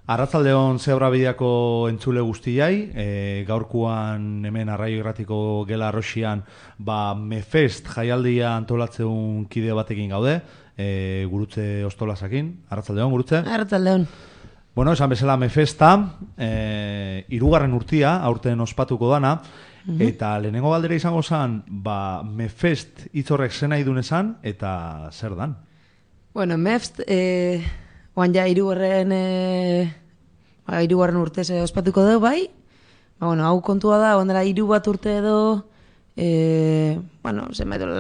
Arratsaldeon Zebrabideako entzule guztiai, gaurkoan hemen Arraio Irratiko gela Arroxian Mefest jaialdia antolatzeun kide batekin gaude, Gurutze Ostolasakin. Arratsaldeon, Gurutze. Arratsaldeon. Bueno, esan bezala Mefesta, 3. urtia, aurten ospatuko dana, eta lehenengo galdera izango zen, Mefest hitz horrek zen nahi duen esan, eta zer dan? Bueno, Mefest, oan ja hirugarren urtez ospatuko dugu bai. Hau kontua da, ondela 3 urte edo,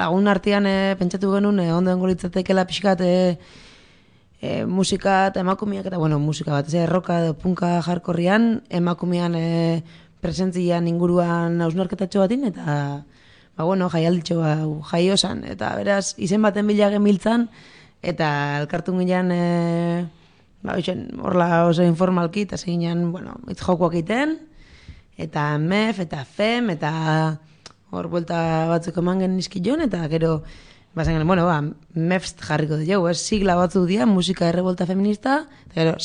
lagun artean pentsatu genuen, ondo dengo litzatekela pixkat musika eta emakumeak, eta musika bat, erroka edo punka jarkorrian, emakumean presentzian inguruan hausnarketatxo batin, eta jaialditxo jaio zan, eta beraz, izen baten bila gemiltzan, eta elkartun ginean, horla oso informalki, eta zeginean, hitz jokoak egiten, eta MEF, eta FEM, eta hor buelta batzuk eman gen nizkion, eta gero, MEFST jarriko dugu, sigla batzuk dira, musika errebolta feminista, eta gero,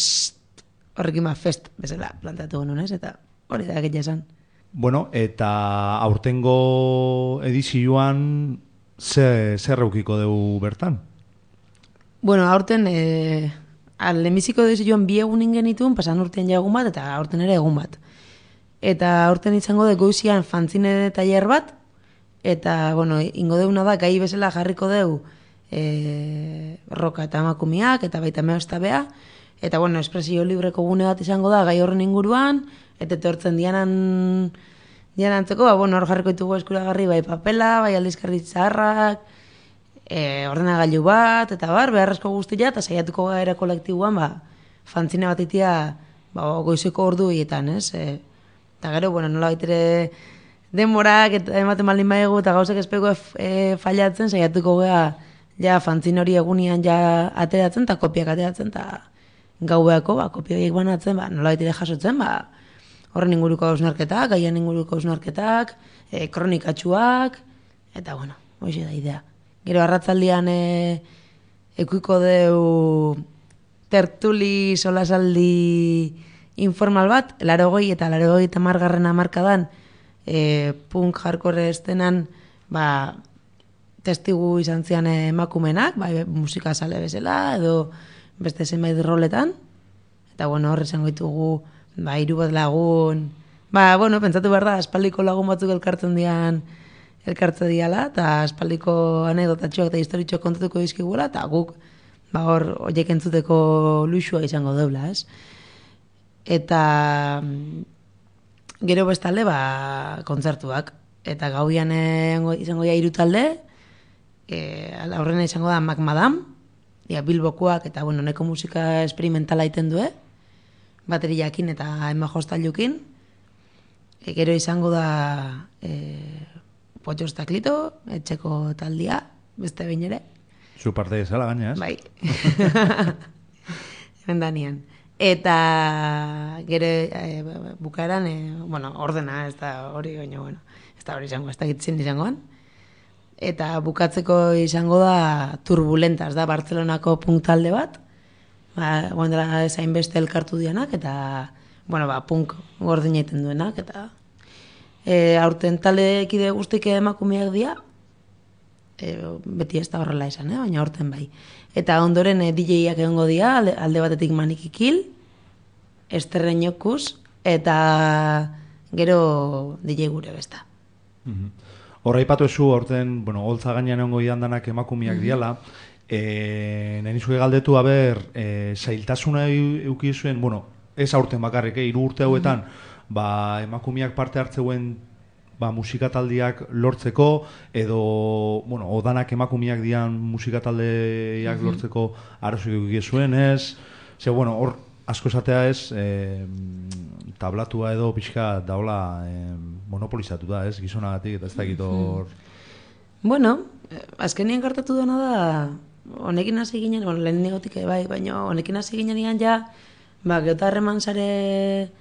horrekin FEST bezala planteatu genuen, eta hori da egitea esan. Bueno, eta aurtengo edizioan zer eukiko dugu bertan? Bueno, aurten, lehenbiziko edizioan 2 egun genituen, pasan urtean ja egun bat, eta aurten ere egun bat. Eta aurten izango dugu goizian fanzine tailer bat, eta, ingo deuna da, gai bezala jarriko dugu roka eta emakumeak, eta baita meostabea, eta, espresio libreko gune bat izango da, gai horren inguruan, eta etortzen dianantzeko, hor jarriko ditugu eskuragarri, bai papela, bai aldizkarri zaharrak, ordenagailu bat, eta beharrezko guztia, eta saiatuko gara kolektibuan, fanzine bat itia, goizeko ordu hietan, ez? Eta gero, nola baitere denborak, eta ematen baldin baiegu, eta gauzak espeko fallatzen, saiatuko gara, ja, fanzine hori egunian ja ateratzen, eta kopiak ateratzen, eta gaueako, kopia horiek banatzen, nola baitere jasotzen, horren inguruko hausnarketak, gaian inguruko hausnarketak, kronikatxuak, eta, hoxe da idea. Gero arratzaldian ekuiko deu tertuli solasaldi informal bat, 80 eta 80 hamarkadan punk hardcore estenan testigu izan zian emakumenak, musika sale bezala edo beste zenbait roletan, eta horre zengo ditugu 3 bat lagun, pentsatu behar da, aspaldiko lagun batzuk elkartze diala, eta aspaldiko anekdotatxoak eta historitxoak kontatuko dizkigula, eta guk hor horiek entzuteko luxua izango deula, ez? Eta gero bestalde kontzertuak, eta gauian izango 3 talde, aurrena izango da Mac Madame, Bilbokoak, eta neko musika experimentala iten du, bateriakin eta ema jostailukin, gero izango da Potxos Taklito, etxeko taldia, beste behin ere. Zu parte ezala gaina, ez? Bai. Endanian. Eta gero bukaeran, ordena, ez da hori, ez da hori izango, ez da gitzen izangoan. Eta bukatzeko izango da Turbulentas, da Bartzelonako punk talde bat. Dela ezain beste elkartu dianak, eta, punk gordin egiten duenak, eta aurten talde kide guztik emakumeak dira, beti ez da horrela izan, baina aurten bai. Eta ondoren DJ-ak egongo dira, alde batetik Manikikil, Esterreñokuz, eta gero DJ gure besta. Horra ipatu ezu, aurten, holtza gainean egongo danak emakumeak diala, nahi nizue galdetu, zailtasuna eukizuen, ez aurten bakarrik, 3 urte hauetan, emakumeak parte hartzeuen musikataldiak lortzeko, edo, odanak emakumeak dian musikataldeak lortzeko arrazoik eukizuen, ez? Hor, asko esatea ez, tablatua edo pixka daula monopolizatu da, ez? Gizonagatik, eta ez dakit hor... Azkenien gertatu dena da, honekin hasi ginen, lehen negotik baina honekin hasi ginen egan ja, geota harreman sare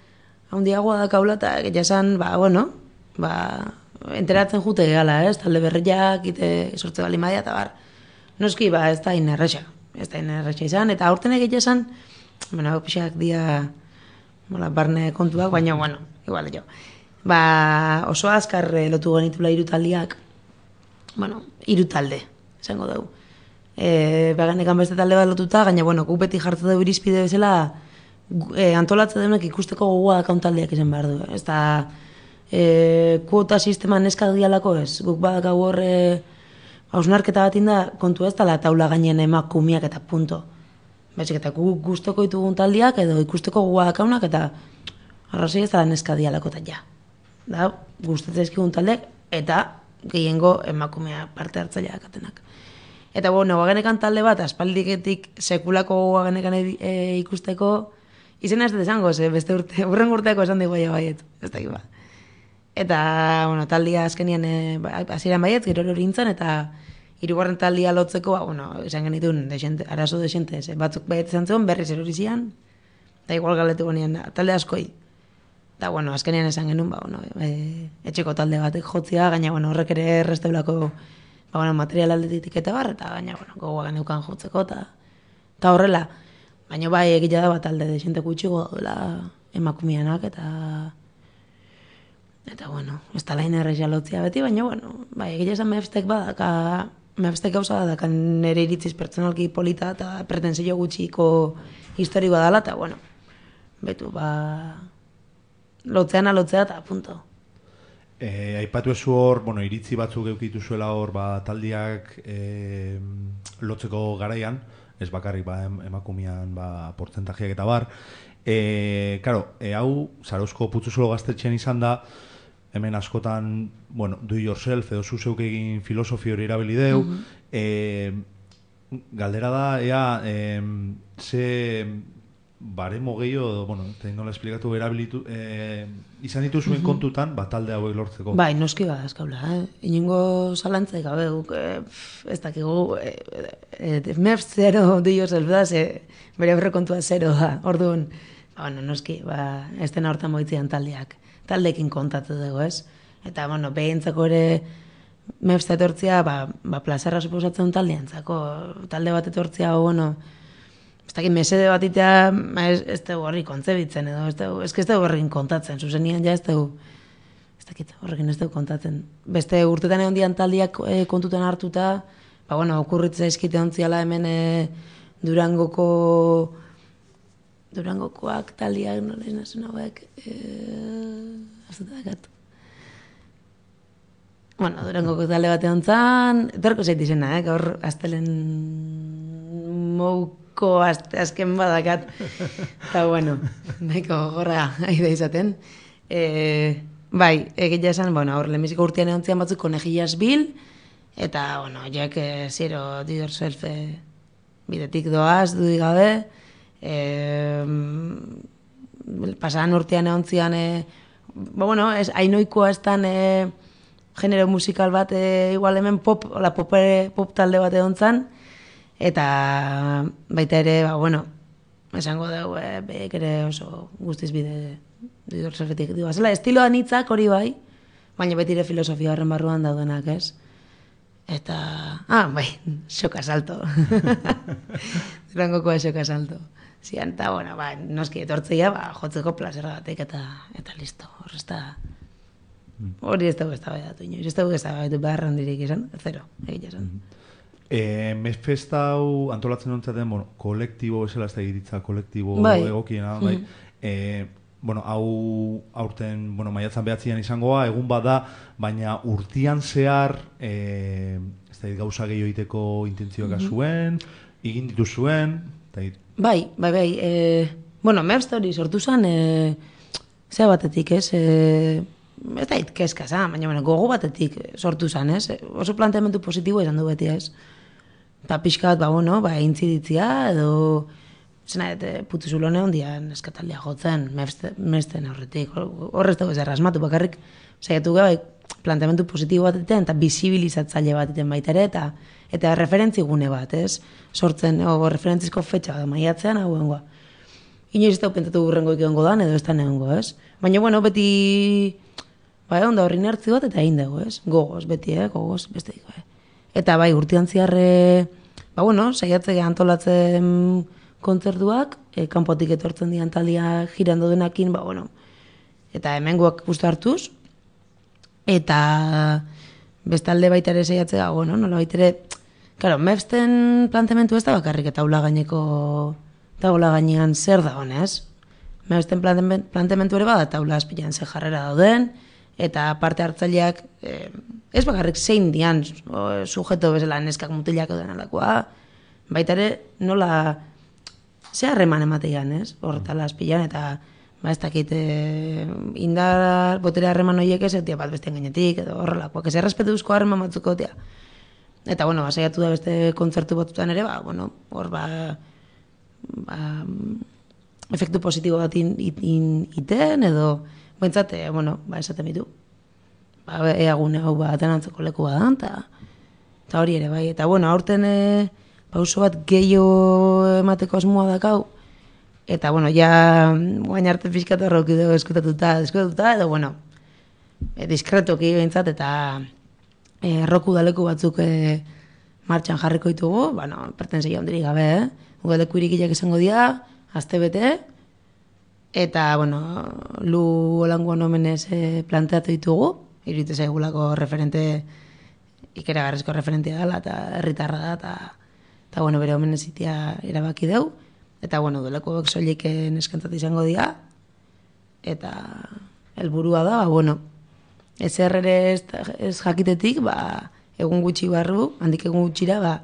handiagoa da kaula, eta esan, enteratzen jute gehala, ez? Talde berriak, sortze bali maia, eta noski, ez da inerrexa izan, eta aurten egitea esan, pixak dia barne kontuak, baina, bueno, igual jo. Ba, oso azkar lotu genitula hiru taldeak, bueno, hiru talde, esango dugu. Baganekan beste talde bat lotuta, gaina, bueno, guk beti jartzen dugu irizpide bezala, antolatze denek ikusteko gogoa dakaun taldeak izan behar du. Ez da, kuota sistema neska dialako ez, guk badakagu hor, hausnarketa bat inda, kontu ez dela taula gainen emakumiak eta punto. Baizik eta guk gustoko ditugun taldiak edo ikusteko gogoa dakaunak eta arrazoi ez dela neska dialako eta ja. Da, gustatzen ezkigun taldeak eta gehiengo emakumea parte hartzaileak atenak. Eta bueno, Waganekan talde bat, aspaldiketik sekulako Waganekan ikusteko, izena ez dut esango, beste urte, urren urteako esan digu baiet, ez da ba. Eta, bueno, taldia azkenian hasieran baiet, gero hori nintzen, eta hirugarren taldia lotzeko, bueno, esan genituen, arazo desente, batzuk baiet izan zuen, berriz erori zian, eta igual galetu gonian, talde askoi. Eta, bueno, azkenean esan genuen, bueno, etxeko talde batek jotzia, gaina, bueno, horrek ere erresteulako material aldetik eta bar, eta gaina, bueno, gogoa geneukan jotzeko, eta horrela, baina bai egitea da bat talde desente gutxiko daudela emakumianak, eta, bueno, ez da lain errexia lotzia beti, baina, bueno, bai egitea esan mehefstek badaka, mehefstek gauza badaka nire iritziz pertsonalki polita eta pretensio gutxiko historikoa dela, eta, bueno, betu, lotzea eta punto. Aipatu ezu hor, bueno, iritzi batzuk eukitu zuela hor, taldiak lotzeko garaian, ez bakarrik emakumian portzentajeak eta bar. Claro, hau, Zarauzko Putzuzulo gaztetxean izan da, hemen askotan, bueno, do yourself edo zuzeuk egin filosofio hori erabili deu. Galdera da, ea, ze baremo gehiago, bueno, nola esplikatu erabilitu, izan dituzuen kontutan, talde hauek lortzeko. Bai, noski azkaula, inongo zalantzaik gabe, ez dakigu, MEF zero do yourself da, bere aurrekontua zero da, orduan, bueno, noski, ez dena hortan moitzean taldeekin kontatu dugu, ez? Eta, bueno, behintzako ere MEF etortzia, plazerra suposatzen taldeantzako, talde bat etortzia, bueno, ez dakit mesede bat itea, ez dugu horri kontzebitzen edo, ez dugu horrekin kontatzen, zuzenian ja ez dugu, ez dakit horrekin ez dugu kontatzen. Beste urtetan egon dian taldiak kontutan hartuta, bueno, okurritzea izkite ontziala hemen Durangokoak taldiak, nola nazen hauek, ez dut dakat. Bueno, Durangoko talde bat egon zan, etorko zait izena, gaur astelen mouko azken badakat, eta bueno, nahiko gorra aida izaten. Bai, egitea esan, bueno, hor lehenbiziko urtean egon zian batzuk Konejillas Bil, eta, bueno, jak zero do yourself bidetik doaz, dudik gabe, pasadan urtean egon zian, bueno, hainoikoa estan genero musikal bat, igual hemen pop talde bat egon zan, eta baita ere, bueno, esango dugu, behek ere oso guztiz bide didorzelfetik. Estiloa nitzak hori bai, baina beti ere filosofia horren barruan daudenak, ez? Eta, bai, xoka salto. Durangokoa xoka salto. Zian, eta, bueno, noski etortzeia, jotzeko plazera batek eta listo. Hori ez dugu ez da behatu inoiz, ez dugu ez da behatu behar handirik izan, zero, egitea esan. Mezfesta hau antolatzen dutzaten, bueno, kolektibo, esela ez da egiritza, kolektibo egokiena, bai. Bueno, hau aurten, bueno, maiatzan behatzian izangoa, egun bada, baina urtian zehar, ez da gauza gehiago egiteko intentzioak zuen, egin dituzuen, Bai, bueno, Merst hori sortu zen, zea batetik, ez da itkezka zan, baina gogo batetik sortu zen, ez? Oso planteamendu positibo izan du beti, ez? Eta pixkat, intziditzia, edo, zena, Putzuzulo hondian eskataldia jotzen, Mersten horretik, horrez dugu ez errasmatu, bakarrik, saiatu gai, planteamendu positibo bat eta bizibilizatzaile bat baita ere, eta referentzigune bat, ez? Sortzen, referentzizko fetxa da maiatzean, hau egongoa. Inoiz ez da pentsatu gurrengo ikiongo dan, edo ez da negongo, ez? Baina, bueno, beti, onda horri nertzi bat, eta egin dugu, ez? Gogoz, beti, gogoz, beste diko, Eta, urtean ziarre, saiatzea antolatzen kontzertuak, kanpotik etortzen dian taldia girando denakin, ba, bueno, eta hemengoak gustu hartuz, eta bestalde baita ere saiatzea, bueno, nola baita ere, claro, Mepsten planteamentu ez da bakarrik eta taula gainean zer da honez. Mepsten planteamentu ere bada taula azpilan ze jarrera dauden, eta parte hartzaileak ez bakarrik zein dian sujeto bezala neskak mutilak edo alakoa, baita ere nola ze harreman ematean, ez? Horretala azpilan, eta ba, ez dakit indar botere harreman horiek ez egotea bat bestean gainetik, edo horrelakoak, ez errespetuzko harreman batzuk egotea. Eta, bueno, saiatu da beste kontzertu batzutan ere, ba, bueno, hor, efektu positibo bat iten, edo, bentsat, bueno, esaten bitu. Eagune hau atenantzeko leku badan, eta hori ere, bai. Eta, bueno, aurten pauso bat gehiago emateko asmoa dakau, eta, bueno, ja, guain arte pixkatu horrauki dugu eskutatuta, edo, bueno, diskretoki bentsat, eta erroku udaleku batzuk martxan jarriko ditugu, bueno, pertensei handirik gabe, udaleku irikiak izango dira, aste bete, eta, bueno, lu olangoan omenez planteatu ditugu, iruditu zaigulako referente, ikeragarrizko referentea dela, eta herritarra da, eta, bueno, bere omenez itia erabaki deu, eta, bueno, udaleku soilik neskantzat izango dira, eta helburua da, bueno, ez ere ez jakitetik, ba, egun gutxi barru, handik egun gutxira, ba,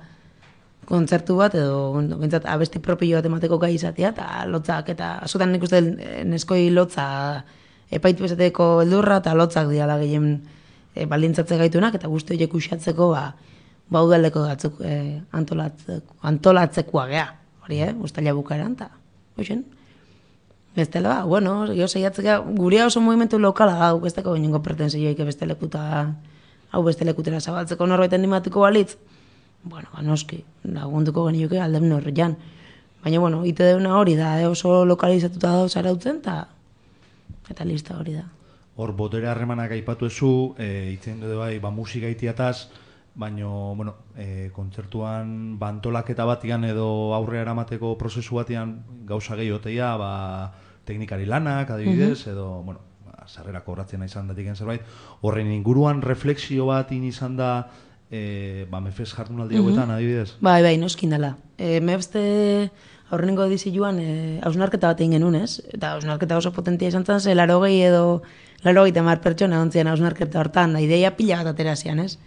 kontzertu bat, edo, bentsat, abesti propio bat emateko gai izatea, eta lotzak, eta askotan nik uste neskoi lotza epaitu esateko eldurra, eta lotzak diala gehien baldintzatze gaitunak, eta guzti horiek usatzeko, ba, udaleko batzuk antolatzekoa gea, hori, ustaila bukaeran, eta, hoxen. Bestela, ba, bueno, jo saiatzeka, gurea oso movimentu lokala da, besteko inongo pretensioik beste lekuta, hau beste lekutera zabaltzeko norbait animatuko balitz, bueno, ba, noski, lagunduko genioke aldem norrian. Baina, bueno, ite deuna hori da, oso lokalizatuta da zarautzen, eta lista hori da. Hor, botere harremanak aipatu ezu, itzen dut bai, ba, musika itiataz, baina, bueno, kontzertuan bantolaketa batian edo aurre eramateko prozesu batian gauza gehiotea, ba, teknikari lanak, adibidez, edo, bueno, sarrera kobratzen izan datiken zerbait, horren inguruan refleksio bat izan da, ba, Mefes jardunaldi hauetan, adibidez? Bai, noskin dela. Mefste aurrenengo edizioan hausnarketa bat egin genuen, ez? Eta hausnarketa oso potentia izan zen, 80 edo 80 pertsona ontzian hausnarketa hortan, da ideia pila bat aterazian, ez?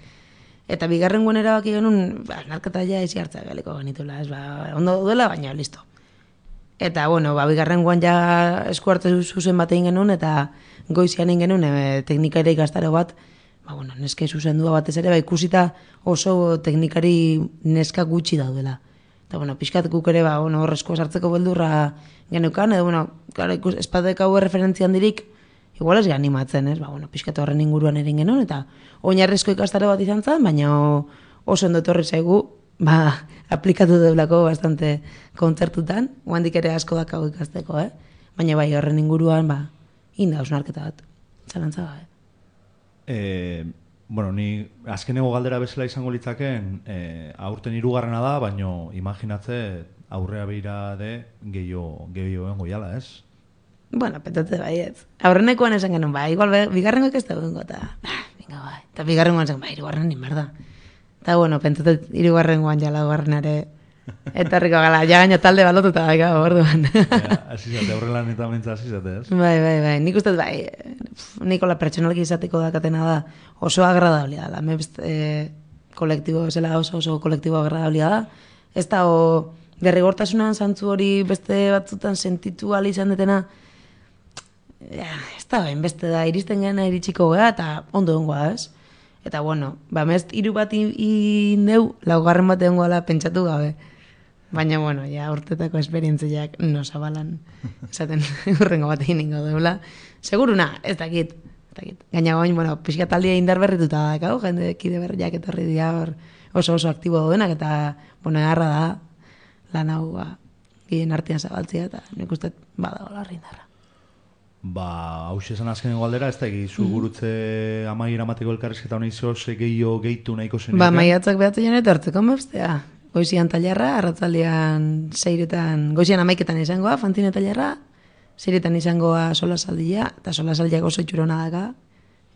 Eta bigarren guen erabaki genuen, hausnarketa ja ezi hartza galiko genitula, ez? Ba, ondo duela, baina listo. Eta, bueno, ba, bigarren guen ja esku hartu zuzen bat egin genuen, eta goizian egin genuen teknikari ikastaro bat, ba, bueno, neske zuzendua batez ere, ba, ikusita oso teknikari neska gutxi daudela. Eta, bueno, pixkat guk ere, ba, bueno, horrezko sartzeko beldurra genukan, edo, bueno, espadek hau referentzian dirik, igual ez animatzen, ez? Ba, bueno, pixkat horren inguruan erin genuen, eta oinarrizko ikastaro bat izan zen, baina oso ondo etorri zaigu, ba, aplikatu deulako bastante kontzertutan, oandik ere asko dakau ikasteko, Baina bai, horren inguruan, ba, inda hausnarketa bat, zalantza gabe. Bueno, ni azkeneko galdera bezala izango litzaken, aurten 3. da, baino imaginatze aurrea beira de gehiago egongo jala, ez? Bueno, petatze bai ez. Aurrenekoan esan genuen, bai, igual bigarrengoek ez da egongo, eta venga bai. Eta bigarrengoan esan, bai, 3. inberda. Eta bueno, pentsatzen 3. jala 2. Eta herriko gala, ja gaino talde balotuta daika, orduan. Azizate, aurrelan eta mentza azizate, ez? Bai, nik uste, bai, nikola pertsonalki izateko dakatena da oso agradablia da. Kolektibo bezala oso kolektibo agradablia da. Ez da, derrigortasunan zantzu hori beste batzutan sentitu ali izan detena, ez da, beste da, iristen gana iritsiko gara, eta ondo dengoa, ez? Eta, bueno, ba, mezt 3 bat indeu, 4. bat egongo ala pentsatu gabe. Baina, bueno, ja, urtetako esperientziak no zabalan, esaten urrengo bat egin ingo deula. Seguruna, ez dakit. Gaina goin, bueno, pixka taldea indar berrituta dakau, jende kide berriak etorri dira oso aktibo daudenak, eta, bueno, egarra da, lan hau, gien artean zabaltzea, eta nik uste badago larri indarra. Ba, hau esan azkeneko galdera, ez da egizu gurutze amaiera amateko elkarrizketa honi ze gehiago gehitu nahiko zen. Ba, maiatzak behatzen janet hartzeko mebstea. goizian tailerra, arratzaldean 6etan, goizian 11etan izangoa, fanzine tailerra, 6etan izangoa solasaldia, eta solasaldiak oso itxurona daka,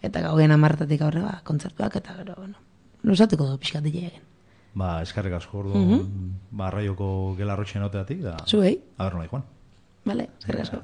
eta gauen 10etatik aurre, kontzertuak, eta gero, bueno, luzatuko du pixkat egin. Ba, eskerrik asko ordu, ba, raioko gelarrotxen oteatik, da... Zuei. A ber, nola, Juan. Vale, eskerrik asko.